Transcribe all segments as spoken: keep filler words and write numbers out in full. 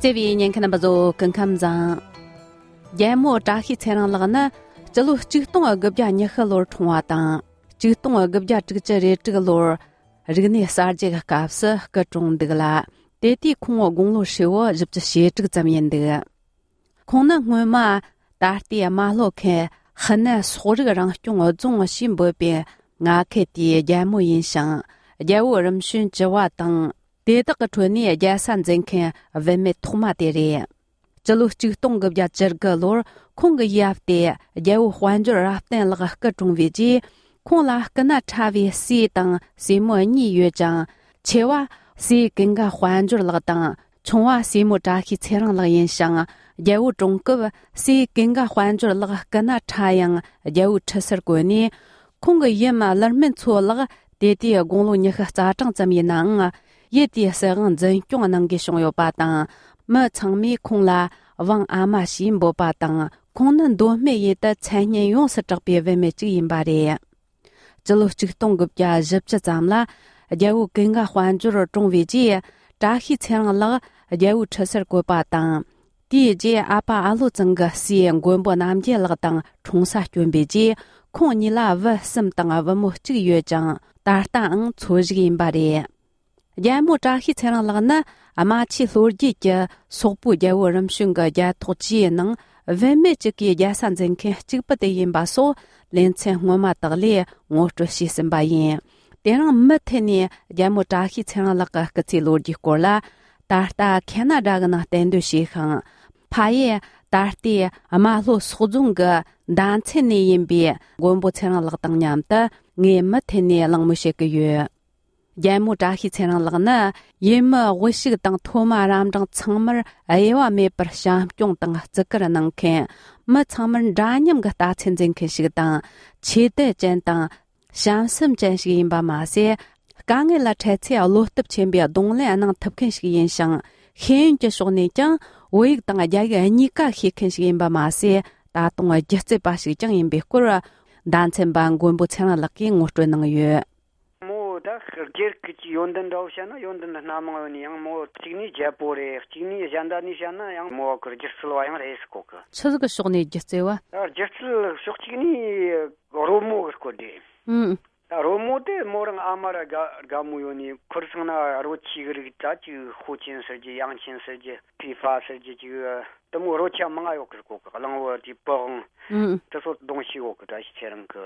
བརྩེ་བའི་ཉན་མཁན་རྣམ་པ་ཚོ་སྐུ་ཁམས་བཟང་། རྒྱལ་མོ་བཀྲ་ཤིས་ཚེ་རིང་ལགས་ནི་སྤྱི་ལོ་ཆིག་སྟོང་དགུ་བརྒྱ་ཉི་ཤུ་ལོར་འཁྲུངས་པ་དང་། ཆིག་སྟོང་དགུ་བརྒྱ་དྲུག་ཅུ་རེ་དྲུག་ལོར་རིག་གནས་གསར་བརྗེ་གི་སྐབས་སུ་སྐུ་གྲོངས་འདུག་ལ། དེ་དུས་ཁོང་དགུང་ལོ་ཧྲིལ་བོ་བཞི་བཅུ་ཞེ་དྲུག་ཙམ་ཡིན་འདུག་ཁོང་ནི་སྔོན་མ་ད་ལྟའི་རྨ་ལྷོ་ཁུལ་ཧི་ནན་སོག་རིགས་རང་སྐྱོང་རྫོང་ཞེས་འབོད་པའི་མངའ་ཁུལ་དེའི་རྒྱལ་མོ་ཡིན་ཞིང་། རྒྱལ་པོ་རིམ་བྱོན་བཅུ་བ་དང་། དེ་དག་གི་ཁྲོད་ནས་རྒྱལ་ས་འཛིན་མཁན་བུད་མེད་ཐོག་མ་དེ་རེད། སྤྱི་ལོ་ཆིག་སྟོང་དགུ་བརྒྱ་བཅུ་དགུ་ལོར་ཁོང་གི་ཡབ་སྟེ་རྒྱལ་པོ་དཔལ་འབྱོར་རབ་བརྟན་ལགས་སྐུ་གྲོངས་པའི་རྗེས། ཁོང་ལ་སྐུ་ན་ཕྲ་བའི་སྲས་དང་སྲས་མོ་གཉིས་ཡོད་ཅིང་། ཆེ་བ་སྲས་ཀུན་དགའ་དཔལ་འབྱོར་ལགས་དང་། ཆུང་བ་སྲས་མོ་བཀྲ་ཤིས་ཚེ་རིང་ལགས་ཡིན་ཞིང་། རྒྱལ་པོ་གྲོངས་སྐབས་སྲས་ཀུན་དགའ་དཔལ་འབྱོར་ལགས་སྐུ་ན་ཕྲ་ཡང་རྒྱལ་པོའི་ཁྲི་སར་བཀོད་ནས། ཁོང་གི་ཡུམ་ཀླུ་སྨན་མཚོ་ལགས་དེ་དུས་དགུང་ལོ་ཉི་ཤུ་རྩ་གྲངས་ཙམ་ཡིན་ནའང་། ཡུལ་དེའི་སྲིད་དབང་འཛིན་སྐྱོང་གནང་དགོས་བྱུང་ཡོད་པ་དང་། མི་ཚང་མས་ཁོང་ལ་ཝང་ཨ་མ་ཞེས་འབོད་པ་དང་། ཁོང་ནི་མདོ་སྨད་ཡུལ་དུ་མཚན་སྙན་ཡོངས་སུ་གྲགས་པའི་བུད་མེད་ཅིག་ཡིན་པ་རེད། སྤྱི་ལོ་ཆིག་སྟོང་དགུ་བརྒྱ་བཞི་བཅུ་ཙམ་ལ་རྒྱལ་པོ་ཀུན་དགའ་དཔལ་འབྱོར་གྲོངས་པའི་རྗེས། བཀྲ་ཤིས་ཚེ་རིང་ལགས་རྒྱལ་པོའི་ཁྲི་སར་བཀོད་པ་དང་། དེའི་རྗེས་ཨ་ཕ་ཨ་ལོ་ཚང་གི་སྲས་མགོན་པོ་རྣམ་རྒྱལ་ལགས་དང་འཁྲུངས་ས་བསྐྱོན་པའི་རྗེས། ཁོང་གཉིས་ལ་བུ་གསུམ་དང་བུ་མོ་གཅིག་ཡོད་ཅིང་། ད་ལྟའང་འཚོ་བཞུགས་ཡིན་པ་རེད། རྒྱལ་མོ་བཀྲ་ཤིས་ཚེ་རིང་ལགས་ནི་རྨ་ཆུའི་ལྷོ་རྒྱུད་ཀྱི་སོག་པོའི་རྒྱལ་པོ་རིམ་བྱོན་གྱི་རྒྱལ་ཐོག་བཅས་ནང་བུད་མེད་གཅིག་གིས་རྒྱལ་ས་འཛིན་མཁན་གཅིག་པུ་དེ་ཡིན་པ་སོགས། ལེ་ཚན་སྔོན་མ་དག་ལས་ངོ་སྤྲོད་བྱས་ཟིན་པ་ཡིན། དེ་རིང་མུ་མཐུད་ནས་རྒྱལ་མོ་བཀྲ་ཤིས་ཚེ་རིང་ལགས་ཀྱི་སྐུ་ཚེའི་ལོ་རྒྱུས་སྐོར་ལ། ད་ལྟ་ཁེ་ན་ཌ་གི་ནང་གཏན་སྡོད་བྱས་ཤིང་། ཕ་ཡུལ་ད་ལྟའི་རྨ་ལྷོ་སོག་རྫོང་གི་མདའ་མཚན་ནས་ཡིན་པའི་མགོན་པོ་ཚེ་རིང་ལགས་དང་མཉམ་དུ་ངས་མུ་མཐུད་ནས་གླེང་མོལ་བྱེད་ཀྱི་ཡོད། རྒྱལ་མོ་བཀྲ་ཤིས་ཚེ་རིང་ལགས་ནི་ཡུལ་མི་དབུ་ཕྱུག་དང་མཐོ་དམའ་རབ་འབྲིང་ཚང་མར་དབྱེ་བ་མེད་པར་བྱམས་སྐྱོང་དང་བརྩི་བཀུར་གནང་མཁན། མི་ཚང་མར་འདྲ་མཉམ་གྱི་རྟགས་མཚན་འཛིན་མཁན་ཞིག་དང་། ཆོས་དད་ཅན་དང་བྱམས་སེམས་ཅན་ཞིག་ཡིན་པ་མ་ཟད། དཀའ་ངལ་ལ་འཕྲད་ཚེ་བློ་སྟོབས་ཆེན་པོས་གདོང་ལེན་གནང་ཐུབ་མཁན་ཞིག་ཡིན་ཞིང་། ཤེས་ཡོན་གྱི་ཕྱོགས་ནས་ཀྱང་བོད་ཡིག་དང་རྒྱ་ཡིག་གཉིས་ཀ་ཤེས་མཁན་ཞིག་ཡིན་པ་མ་ཟད། ད་དུང་སྒྱུ་རྩལ་པ་ཞིག་ཀྱང་ཡིན་པའི་སྐོར། མདའ་མཚན་པ་མགོན་པོ་ཚེ་རིང་ལགས་ཀྱིས་ངོ་སྤྲོད་གནང་ཡོད། མོ་ད་སྒེར་གྱི་ཡོན་ཏན་འདྲ་བོ་བཤད་ན་ཡོན་ཏན་སྣ་མང་ཡོད་ནི་ཡང་། མོ་གཅིག་ནི་རྒྱལ་པོ་རེད། གཅིག་ནི་གཞན་དག་ནས་བཤད་ན་ཡང་མོ་གི་སྒྱུ་རྩལ་བ་ཡང་རེད་ཟེར་གོ་གི། ཆི་ཟིག་གི་ཕྱོགས་ནས་སྒྱུ་རྩལ་བ། ད་སྒྱུ་རྩལ་ཕྱོགས་གཅིག་ནི་རོལ་མོ་གི་སྐོར་རེད། ཨུམ། ད་རོལ་མོ་དེ་མོ་རང་ཨ་མ་ར་དགའ་དགའ་མོ་ཡོད་ནི། ཁུར་སང་ན་རོལ་ཆས་གི་རིགས་ད་ཅིག་ཧུའུ་ཅིན་ཟེར་གྱི། ཡང་ཆིན་ཟེར་གྱི། ཕི་ཧྥ་ཟེར་གྱི། ཅིག་དེ་མོ་རོལ་ཆ་མང་ང་ཡོད་གི་ཟེར་གོ་གི། གླང་བོ་དེ་པི་ཝང་། ཨུམ། དེ་ཚོ་གདོང་ཤེས་ཡོད་གི། བཀྲ་ཤིས་ཚེ་རིང་གི།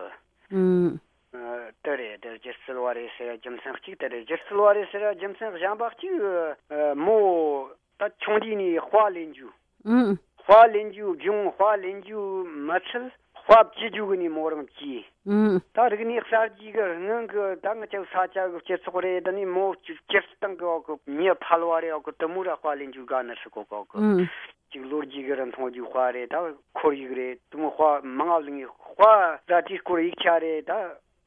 ཨུམ། ཨ། དེ་རེད། དེ་སྒྱུ་རྩལ་བ་རེད་ཟེར་རྒྱུ་མཚན་གཅིག་དེ་རེད། སྒྱུ་རྩལ་བ་རེད་ཟེར་རྒྱུ་མཚན་གཞན་པ་གཅིག་ཨ། མོ་ད་ཆུང་དུས་ནས་དཔའ་ལེན་རྒྱུ། ཨུམ། དཔའ་ལེན་རྒྱུ་སྦྱོང་། དཔའ་ལེན་རྒྱུ་མི་ཚད་དཔའ་བཅུ་རྒྱུ་གི་ནས་མོ་རང་བཅས། ཨུམ། ད་རིག་གནས་གསར་བརྗེ་གི་སྔོན་གི་ད་ང་ཅག་ས་ཆ་གི་སྤྱི་ཚོགས་རེད། ད་ནི་མོ་སྤྱིར་བཏང་གི་འོག་གི་མྱི་ཕལ་བ་རེད། འོག་གི་དེ་མོ་ར་དཔའ་ལེན་རྒྱུ་དགའ་ནི་ཟེར་གོ་གི། འོག་གི། ཨུམ། ཅིག་ལོ་རྒྱུས་གི་རིན་ཐང་རྒྱུ་དཔའ་རེད། ད་ཁོར་ཡུག་རེད། དེ་མོ་དཔའ་མང་ང་ལེན་ནི། དཔའ་ད་དེའི་སྐོར་ཡིག་ཆ་རེད། ད་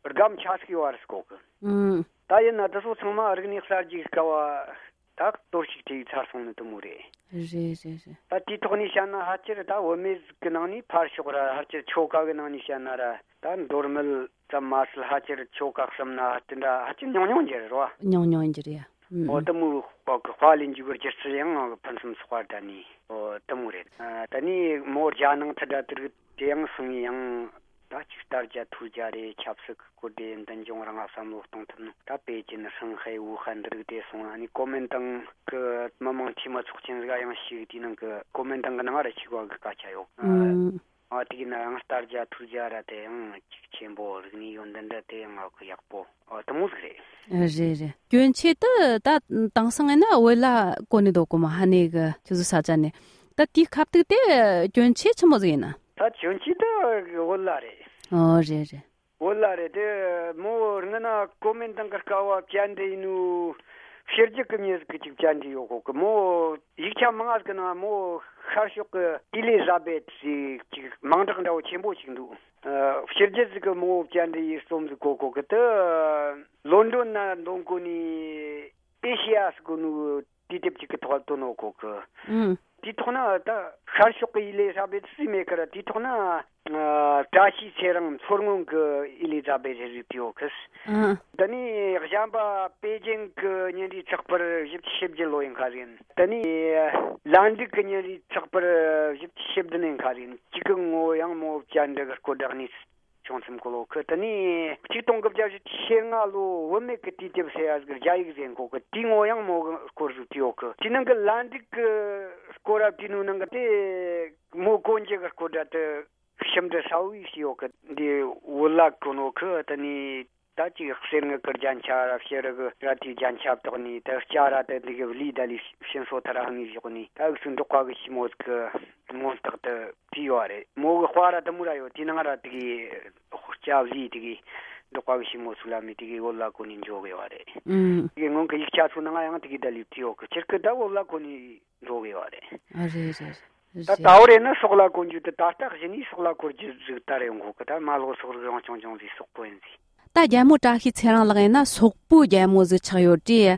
སྒམ་ཆ་ཟིག་ཡོད་རེད་ཟེར་གོ་གི། ཨུམ། ད་ཡིན་ན་དེ་ཚོ་ཚང་མ་རིག་གནས་གསར་བརྗེ་གི་སྐབས་བ་ད་གཏོར་བཤིག་བྱས་ཚར་སོང་ནི་དེ་མོ་རེད། རེད་རེད་རེད། ད་དེའི་ཐོག་ནས་བཤད་ན་ཕལ་ཆེར་ད་བུད་མེད་ཟིག་གི་ནང་ནས་ཕར་ཕྱོགས་ར། ཕལ་ཆེར་ཆོལ་ཁ་གི་ནང་ནས་བཤད་ན་ར། ད་མདོ་སྨད་ཙམ་མ་ཟད་ཕལ་ཆེར་ཆོལ་ཁ་གསུམ་ན་དེ་འདྲ་ཕལ་ཆེར་ཉུང་ཉུང་གི་རེད་བ། ཉུང་ཉུང་གི་རེད། ཨུམ། འོ་དེ་མོ་བ་གི་དཔའ་ལེན་རྒྱུ་གི་སྒྱུ་རྩལ་ཡང་ཕུན་སུམ་ཚོགས་པ་ད་ནི། འོ་དེ་མོ་རེད། ཨ། ད་ནི་མོ་རྒྱ་ནང་དུ་འདྲ་དེ་རིགས་དེ་ཡང་སོང་ངས་ཡང་ད་ཅིག་ལྟ་རྒྱ་ཐུར་རྒྱ་རེད། ཆབ་སྲིད་གི་སྐོར་དེ་འདི་འབྱུང་རང་ང་བསམ་བློ་གཏོང་ཐུབ་ནོ། ད་པེ་ཅིན་ཧྲང་ཧའེ་ཝུ་ཧན་འདི་རིགས་དེ་སོང་། ཨ་ནི་ཀོ་མིན་ཏང་གི་མི་མང་འཐུས་མི་ཚོགས་ཆེན་ཟིག་ཡང་ཞིག་དེའི་ནང་གི་ཀོ་མིན་ཏང་གི་ནང་ར་ཞིག་བ་གི་སྐད་ཆ་ཡོད། ཨ། ཨུམ། ཨ། དེ་ཡིན་ན་ཡང་ལྟ་རྒྱ་ཐུར་རྒྱ་ར་དེ་ཡང་ཅིག་ཆེན་པོ། རིག་གནས་ཡོན་ཏན་ར་དེ་ཡང་ཨ་གི་ཡག་པོ། ཨ། དེ་མོ་ཟིག་རེད། རེད་རེད། གྱོན་ཆས་དེ་ད་དེང་སང་ཡིན་ན་བོད་ལ་གོན་ནས་འདུག་གོ་མ། ཧ་ནེ་གི་ཁྱེད་ཚོ་ས་ཆ་ནས། ད་དེའི་ཁ་ཐུག་དེ་གྱོན་ཆས་ཆི་མོ་ཟིག་ཡིན་ན། ད་གྱོན་ཆས་དེ་བོད་ལ་རེད། ཨོ་རེད་རེད། བོད་ལ་རེད། དེ་མོ་སྔ་ན་ཀོ་མིན་ཏང་གི་སྐབས་བ་བཅར་འདྲི་ཡིན་ནོ། ཕྱི་རྒྱལ་གི་མྱི་ཟིག་གིས་ཅིག་བཅར་འདྲི་ཡོད་གོ་གི། མོ་ཡིག་ཆ་མང་ང་ཟིག་གི་ནང་མོ་ཤར་ཕྱོགས་གི་ཨེ་ལི་ཛ་བེད་ཟེར་ཅིག་མིང་གྲགས་འདྲ་བོ་ཆེན་པོ་ཞིག་འདུག། ཨ། ཕྱི་རྒྱལ་ཟིག་གིས་མོ་བཅར་འདྲི་ཡེད་རྩོམ་ཟིག་གོ་གོ་གི། དེ་ལོན་ཌོན་ན་འདོན་གོ་ནི། ཨེ་ཤེ་ཡ་ཟེར་གོ་ནོ་དུས་དེབ་ཅིག་གི་ཐོག་བཏོན་ནོ་གོ་གི། ཨུམ། དེའི་ཐོག་ན་ད་ཤར་ཕྱོགས་ཀྱི་ཨི་ལི་ཛ་བེད་སི་མེད་ཀར། དེའི་ཐོག་ན་ཨ་བཀྲ་ཤིས་ཚེ་རིང་མཚོ་སྔོན་གྱི་ཨི་ལི་ཛ་བེད་སི་རེད་ཟེར་གི་ཡོད་གི། ཨང་། དེ་ནས་གཞན་པ་པེ་ཅིང་གི་བརྙན་རིས་ཚགས་པར་བཞི་བཅུ་ཞེ་བརྒྱད་ལོ་ཡིན་ཁ་རེད། དེ་ནས་ལན་ཀྲུག་གི་བརྙན་རིས་ཚགས་པར་བཞི་བཅུ་ཞེ་བདུན་ཡིན་ཁ་རེད། གཅིག་གི་ངོ་ཡང་མོ་བཅར་འདྲི་གི་སྐོར་བསྒྲགས་ནས། བྱུང་ཚུལ་གོ་ལོ་གི། དེ་ནས་གཅིག་སྟོང་དགུ་བརྒྱ་བཞི་བཅུ་ཞེ་ལྔ་ལོ་བུད་མེད་ཀྱི་དུས་དེབ་ཟེར་ཡ་ཟིག་རྒྱ་ཡིག་ཟེར་གོ་གི། དེའི་ངོ་ཡང་མོ་གི་སྐོར་ཟིག་བྲིས་ཡོད་གི། དེའི་ནང་གི་ལན་ཀྲུག་གི་སྐོར་ར་བྲིས་ནོ་ནང་གི་དེ་མོ་གོན་རྒྱུ་གི་སྐོར་ར་དེ་ཞིབ་འབྲི་གསལ་བོ་ཞིག་ཡོད་གི། འདི་བོད་ལ་གོན་ནོ་གི། དེ་ནས་ད་ཅིག་གསེར་དངུལ་གི་རྒྱན་ཆ་ར་ཕྱི་རུ་གི་ར་དེའི་རྒྱན་ཆ་བཏགས་ནས། ད་སྐྱ་ར་དེ་འདི་གི་ལི་ད་ལི་ཕྱིན་སོ་ཐ་ར་ཧང་ངི་བཞག་ནས། ད་འུ་ཚོའི་འབྲོག་པ་གི་ཞི་མོ་ཟིག་གི་མངོན་རྟགས་དེ་བྲིས་ཡོད་རེད། མོ་གི་དཔར་ར་དེ་མོ་ར་ཡོད། དེའི་ནང་ར་དེ་གི་སྐྱ་ལི་དེ་གི་འབྲོག་པ་གི་ཞི་མོ་ཚུགས་ལ་མི་དེ་གི་བོད་ལ་གོན་ནས་འཇོག་གི་ཡོད་རེད། ཨུམ། དེ་གི་སྔོན་གི་ཡིག་ཆ་ཚོ་ནང་ཡང་དེ་གི་ད་ལི་བྲིས་ཡོད་གི། ཁྱེད་ཀྱི་ད་བོད་ལ་གོན་ནས་འཇོག་གི་ཡོད་རེད། ཨ་རེད་རེད། ད་ད་བར་ཡིན་ན་སོག་ལ་གོན་རྒྱུ་དེ་ད་ལྟ་གཞི་ནས་སོག་ལ་གོན་རྒྱུ་ཟིག་ད་རེད་འགོ་གི། ད་རྨ་ལྷོ་སོག་རིགས་རང་སྐྱོང་ལྗོངས་ཟིག་སོག་པོ་ཡིན་ཟིག། ད་རྒྱལ་མོ་བཀྲ་ཤིས་ཚེ་རིང་ལགས་ཡིན་ན་སོག་པོའི་རྒྱལ་མོ་ཟིག་ཆགས་ཡོད་དུས།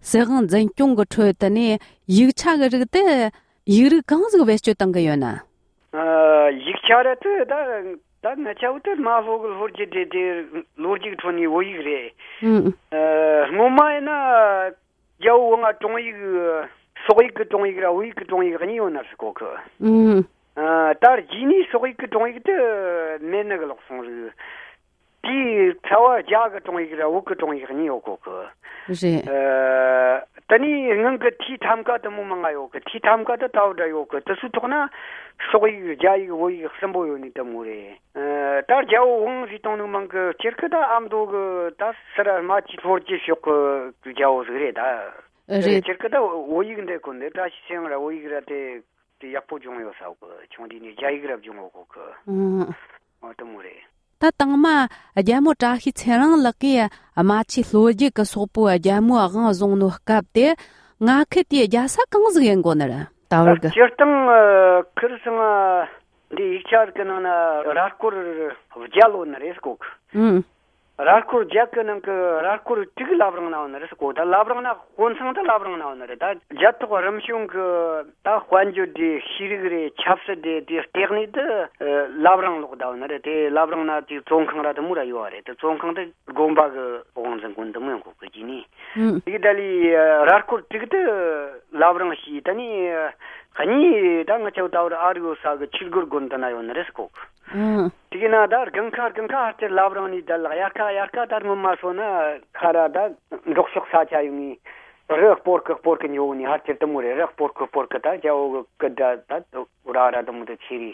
སྲིད་དབང་འཛིན་སྐྱོང་གི་ཁྲོད་དུ་ནས་ཡིག་ཆ་གི་རིགས་དེ་ཡིག་རིགས་གང་ཟིག་བེད་སྤྱོད་གཏང་གི་ཡོད་ན། ཨ། ཡིག་ཆ་ར་དེ་ད་ད་ང་ཆ་བོ་དེ་རྨ་ལྷོ་གི་ལྷོ་རྒྱུད་དེ་དེ་ལོ་རྒྱུས་ཁྲོད་ནས་བོད་ཡིག་རེད། ཨུམ། ཨ། སྔོན་མ་ཡིན་ན། རྒྱལ་པོ་ང་དྲུང་ཡིག་སོག་ཡིག་གི་དྲུང་ཡིག་ར་བོད་ཡིག་གི་དྲུང་ཡིག་གཉིས་ཡོད་ན་ཟེར་གོ་གི། ཨུམ། ཨ། ད་རྗེས་ནས་སོག་ཡིག་གི་དྲུང་ཡིག་དེ་མེད་ནི་གི་ལོག་སོང་ཟིག། དེའི་ཚ་བ་རྒྱ་གི་དྲུང་ཡིག་ར་བོད་གི་དྲུང་ཡིག་གཉིས་ཡོད་གོ་གི། རེད། ཨ། དེ་ནས་སྔོན་གི་ཐོས་ཐམ་ཀ་དེ་མོ་མང་ང་ཡོད་གི། ཐོས་ཐམ་ཀ་དེ་ད་བར་ར་ཡོད་གི། དེ་ཚོའི་ཐོག་ན་སོག་ཡིག་རྒྱ་ཡིག་བོད་ཡིག་གསུམ་པོ་ཡོད་ནི་དེ་མོ་རེད། ཨ། ད་རྒྱལ་པོ་ཝང་ཟིག་བཏང་ནི་མང་གི། སྤྱིར་གི་ད་ཨ་མདོ་གི་ད་སི་ར་རྨ་ཆུ་ལྷོ་རྒྱུད་ཕྱོགས་གི་རྒྱལ་པོ་ཟིག་རེད་ད། རེད། སྤྱིར་གི་ད་བོད་ཡིག་འདི་གོ་འདི་བཀྲ་ཤིས་ཚེ་རིང་ར་བོད་ཡིག་ར་དེ་དེ་ཡག་པོ་སྦྱོང་ཡོད་ས་གི། ཆུང་དུས་ནས་རྒྱ་ཡིག་ར་སྦྱོང་ཡོད་གོ་གི། ཨང་། འོ་དེ་མོ་རེད། ད་དང་མ་རྒྱལ་མོ་བཀྲ་ཤིས་ཚེ་རིང་ལགས་ཀྱིས་རྨ་ཆུ་ལྷོ་རྒྱུད་ཀྱི་སོག་པོའི་རྒྱལ་མོའི་དབང་བཟུང་ནོ་སྐབས་དེ་ང་ཁུལ་དེའི་རྒྱལ་ས་གང་ཟིག་ཡིན་དགོ་ནི་རེད། ད་བར་གི། སྤྱིར་བཏང་། ཨ། ཁིར་སང་ང་འདི་ཡིག་ཆ་རིགས་ཀྱི་ནང་ན་ར་སྐོར་བརྒྱད་ལོ་ནི་རེད་ཟེར་གོ་གི། ཨང་། ར་སྐོར་བརྒྱད་གི་ནང་གི་ར་སྐོར་དྲུག་བླ་བྲང་ན་ཡོད་ནི་རེད་ཟེར་གོ། ད་བླ་བྲང་ན་དཔོན་ཚང་ད་བླ་བྲང་ན་ཡོད་ནི་རེད། ད་རྒྱལ་ཐོག་རིམ་བྱོན་གི་ད་དཔལ་འབྱོར་དེ་ཤེས་རིག་རེད། ཆབ་སྲིད་དེ་དེ་ལྟེ་གནས་དེ་བླ་བྲང་ལོག་ད་ཡོད་ནི་རེད། དེ་བླ་བྲང་ན་དེ་བཙོན་ཁང་ར་དེ་མོ་ར་ཡོད་རེད། དེ་བཙོན་ཁང་དེ་དགོན་པ་གི་དབང་འཛིན་དགོན་དེ་མོ་ཡོད་གོ་གི་རྗེས་ནས། ཨང་། དེ་གི་ད་ལི་ར་སྐོར་དྲུག་དེ་བླ་བྲང་ཞེས། ད་ནི་གཉིས་ད་ང་ཆོ་ད་བར་ཨ་རི་ཡོད་ས་གི་ཆོས་སྒར་དགོན་དེ་ན་ཡོད་ནི་རེད་ཟེར་གོ་གི། ཨང་། དེ་གི་ན་ད་དགུན་ཁ་དགུན་ཁ་ཧར་ཆེར་བླ་བྲང་ནས་ད་ལ་དབྱར་ཁ་དབྱར་ཁ་ད་སྔོན་མ་སོང་ན་ཁ་ར་ད་འབྲོག་ཕྱོགས་ས་ཆ་ཡོང་ངས་རི་སྤོར་གི་སྤོར་གི་འགྱོ་ནི་ཧར་ཆེར་དེ་མོ་རེད། རི་སྤོར་གི་སྤོར་གི་ད་རྒྱལ་པོ་གི་སྐུ་འདྲ་ད་ར་ར་དེ་མོ་དེ་ཆེ་རེད།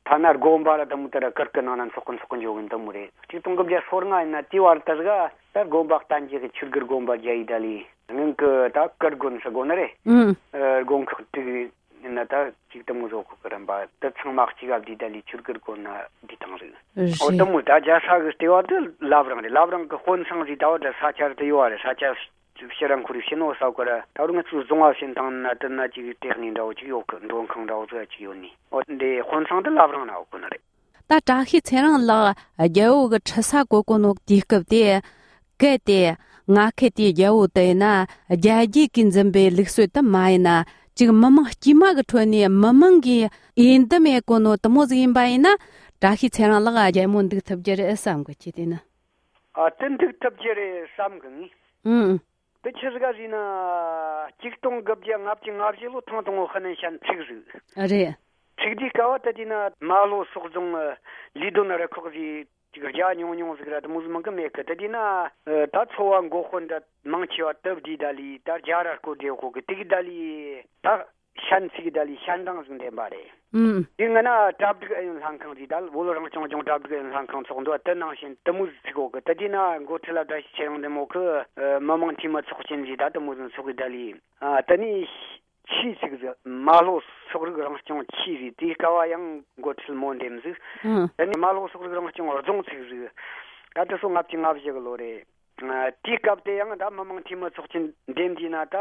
ཐ་ན་དགོན་པ་ར་དེ་མོ་དེ་ར་གུར་གི་ནང་ན་འཚོགས་གི་འཚོགས་གི་འགྱོ་གི་དེ་མོ་རེད། གཅིག་སྟོང་དགུ་བརྒྱ་སོ་ལྔ་ཡིན་ན་དེའི་བར་དེ་ཟིག་ད་དགོན་པ་བསྟན་རྒྱས་ཀྱི་ཆོས་སྒར་དགོན་པ་རྒྱ་ཡིག་ད་ལི་སྔོན་གི་ད་གུར་དགོན་ཟེར་གོ་ནི་རེད། ཨང་། ཨ། དགོན་ཁག་དྲུག་ཡིན་ན་ད་གཅིག་དེ་མོ་བཟོ་གོ་གི་རིམ་པ་དེ་ཚང་མ་གཅིག་ག་བསྡུས་ད་ལི་ཆོས་སྒར་དགོན་ན་བསྡུས་བཏང་རེད། རེད། འོ་དེ་མོ་ད་རྒྱལ་ས་གི་ལྟེ་བ་དེ་བླ་བྲང་རེད། བླ་བྲང་གི་དཔོན་ཚང་ཟིག་ད་བ་དེ་ས་ཆ་རེད། དེ་ཡོད་བ་རེད། ས་ཆ་ཕྱིར་ར་འཁོར་རེ་ཕྱིན་ནོ་ས་གོ་ར། ད་རུང་ང་ཚོའི་རྫོང་བ་ཕྱིན་བཏང་ན་དེ་ན་ཅིག་ལྟེ་གནས་འདྲ་བོ་ཅིག་ཡོད་གི། མགྲོན་ཁང་འདྲ་བོ་ཅིག་ཡོད་ནི། འོ་དེ་དཔོན་ཚང་དེ་བླ་བྲང་ན་ཡོད་གོ་ནི་རེད། ད་བཀྲ་ཤིས་ཚེ་རིང་ལགས་རྒྱལ་པོ་གི་ཁྲི་ས་བཀོད་གོ་ནོ་དུས་སྐབས་དེ། གལ་ཏེ་ང་ཁུལ་དེའི་རྒྱལ་པོ་དེ་ཡིན་ན་རྒྱ་རྒྱུད་ཀྱིས་འཛིན་པའི་ལུགས་སྲོལ་དེ་མ་ཡིན་ན། ཅིག་མི་མང་དཀྱུས་མ་གི་ཁྲོད་ནས་མི་མང་གིས་འོས་འདེམས་ཡེད་གོ་ནོ་དེ་མོ་ཟིག་ཡིན་པ་ཡིན་ན། བཀྲ་ཤིས་ཚེ་རིང་ལགས་རྒྱལ་མོ་འདུག་ཐུབ་རྒྱུ་རེད་བསམ་གི། ཁྱེད་དེ་ན། ཨ། དེ་འདུག་ཐུབ་རྒྱུ་རེད་བསམ་གི་ངས། ཨང་། དེ་ཆི་ཟིག་ག་ཟེར་ན། གཅིག་སྟོང་དགུ་བརྒྱ་ལྔ་བཅུ་ང་བཞི་ལོ་ཐེངས་དང་པོ་ཧི་ནན་ཞན་འཁྲུག་ཟིག། རེད། འཁྲུག་དུས་སྐབས་བ་དེ་དུས་ན་རྨ་ལྷོ་སོག་རྫོང་ལི་སྡོད་རུ་ཁག་ཟིག་ཅིག་རྒྱ་ཉུང་ཉུང་ཟིག་ར་དེ་མོ་ཟིག་མང་གི་མེད་གི། དེ་དུས་ན་ད་ཚོ་བ་མགོ་དཔོན་འདྲ་མང་ཆེ་བ་དེ་བསྡུས་ད་ལི་ད་རྒྱ་ར་སྐོར་བསྡད་གོ་གི། དེ་གི་ད་ལི་ད་ཞན་ཚིག་ད་ལི་ཞན་གྲངས་ཟིག་འདེམས་པ་རེད། ཨུམ། དེ་སྔ་ན་གྲ་སྒྲིག་ཨུ་ཡོན་ལྷན་ཁང་ཟིག་ད་བོད་རང་སྐྱོང་ལྗོངས་གྲ་སྒྲིག་ཨུ་ཡོན་ལྷན་ཁང་ཚོགས་འདུ་དེ་ནང་བཞིན་དེ་མོ་ཟིག་ཚིག་གོ་གི། དེ་དུས་ན་འགོ་ཁྲིད་ལ་བཀྲ་ཤིས་ཚེ་རིང་འདི་མོ་གི་མི་མང་འཐུས་མི་ཚོགས་ཆེན་ཟིག་ད་དེ་མོ་ཟིག་ཚོགས་གི། ད་ལི་ཨ་དེ་ནས་ཆི་ཟིག་ཟིག་རྨ་ལྷོ་སོག་རིགས་རང་སྐྱོང་ཆི་ཟིག་དེའི་སྐབས་བ་ཡང་འགོ་ཁྲིད་མོ་འདེམས་ཟིག། ཨུམ། དེ་ནས་རྨ་ལྷོ་སོག་རིགས་རང་སྐྱོང་རྫོང་ཚིག་ཟིག། ད་དེ་སོ་ལྔ་བཅུ་ང་བཞི་གི་ལོ་རེད། ཨ། དེའི་སྐབས་དེ་ཡང་ད་མི་མང་འཐུས་མི་ཚོགས་ཆེན་འདེམས་དུས་ན་ད་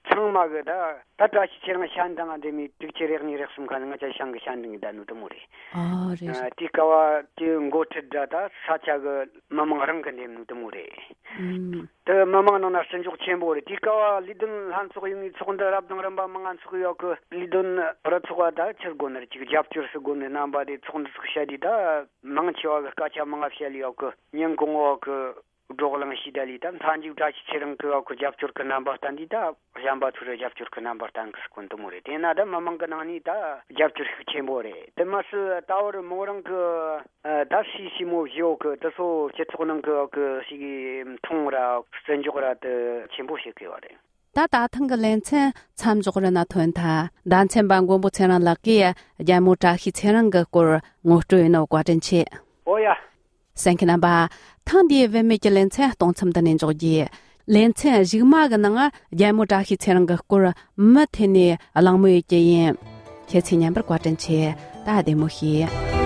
ཚང་མ་གི་ད་ད་བཀྲ་ཤིས་ཚེ་རིང་ཤན་འདང་ང་འདེམས་མི་དྲུག་ཅུ་རེ་གཉིས་རེ་གསུམ་ཁ་ནས་ང་ཅག་ཤང་གི་ཤན་འདང་གི་ད་ནུ་དུ་མོ་རེད། ཨ་རེད། ཨ། དེའི་སྐབས་དེ་འགོ་ཁྲིད་འདྲ་ད་ས་ཆ་གི་མི་མང་རང་གི་འདེམས་ནུ་དུ་མོ་རེད། ཨུམ། དེ་མི་མང་ནང་ན་བརྩི་འཇོག་ཆེན་པོ་རེད། དེའི་སྐབས་ལས་དོན་ལྷན་ཚོགས་ཡོང་ངེས་ཚོགས་འདུ་རབ་དང་རིམ་པ་མང་ང་ཚོགས་ཡོད་གི། ལས་དོན་རུ་ཚོགས་པ་ད་ཕྱིར་དགོ་ནི་རེད། ཅིག་རྒྱབ་སྐྱོར་སུ་དགོ་ནི་རྣམ་པ་དེ་ཚོགས་འདུ་ཚོགས་བཤད་དུས་ད་མང་ཆེ་བ་གི་སྐད་ཆ་མང་ང་བཤད་ལས་ཡོད་གི། ཉིན་གང་བོ་གི་བགྲོ་གླེང་ཞིག་ད་ལས་ད་མཐའ་མཇུག་བཀྲ་ཤིས་ཚེ་རིང་གི་ཡོད་གི་རྒྱབ་སྐྱོར་གི་རྣམ་པ་བསྟན་དུས་ད་གཞན་པ་ཚོར་རྒྱབ་སྐྱོར་གི་རྣམ་པ་བསྟན་གི་སྐོར་དུ་མོ་རེད། དེས་ན་ད་མི་མང་གི་ནང་ནས་ད་རྒྱབ་སྐྱོར་ཤུགས་ཆེན་པོ་རེད། དེ་མ་ཟད་ད་བར་མོ་རང་གི་ཨ། ད་སྲིད་སྲིད་མོ་བཞི་ཡོད་གི། དེ་ཚོ་སྤྱི་ཚོགས་ནང་གི་ཡོད་གི་ཞིག་མཐོང་ར་བརྩི་འཇོག་ར་དེ་ཆེན་པོ་བྱེད་གི་ཡོད་རེད། ད་ད་ཐེངས་ཀྱི་ལེ་ཚན་མཚམས་འཇོག་རེ་ན་ཐོན་ཐལ། ཟླ་མཚན་པ་མགོན་པོ་ཚེ་རིང་ལགས་ཀྱིས་རྒྱལ་མོ་བཀྲ་ཤིས་ཚེ་རིང་གི་སྐོར་ངོ་སྤྲོད་ཡིན་ནོ་བཀའ་དྲིན་ཆེ། ཨོ་ཡ། གསན་མཁན་རྣམ་པ། ཐེངས་འདིའི་བུད་མེད་ཀྱི་ལེ་ཚན་གཏོང་མཚམས་འདི་ནས་འཇོག་རྒྱུ། ལེ་ཚན་གཞུག་མ་གི་ནང་རྒྱལ་མོ་བཀྲ་ཤིས་ཚེ་རིང་གི་སྐོར་མུ་མཐུད་ནས་གླེང་མོལ་ཡོད་ཀྱི་ཡིན། ཁྱེད་ཚོས་ཉན་པར་བཀའ་དྲིན་ཆེ། ད་བདེ་མོ་བྱོས།